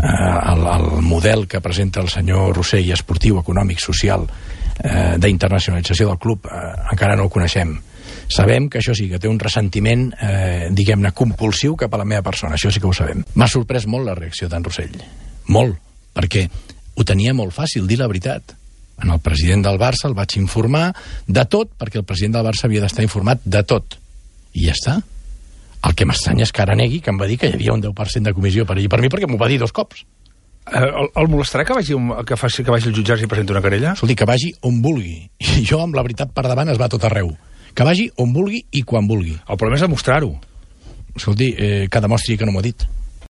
el model que presenta el senyor Rossell, esportiu, econòmic, social, d'internacionalització del club, encara no el coneixem. Sabem que això sí, que té un ressentiment, diguem-ne, compulsiu cap a la meva persona, això sí que ho sabem. M'ha sorprès molt la reacció d'en Rossell, molt, perquè ho tenia molt fàcil, dir la veritat. En el president del Barça el vaig informar de tot, perquè el president del Barça havia d'estar informat de tot. I ja està. El que m'estranya és que ara negui que em va dir que hi havia un 10% de comissió per mi, perquè m'ho va dir 2 cops. El molestarà que vagi al jutjat i presenti una querella? Escolti, que vagi on vulgui. I jo, amb la veritat per davant, es va tot arreu. Que vagi on vulgui i quan vulgui. El problema és demostrar-ho. Escolti, que demostri que no m'ho ha dit.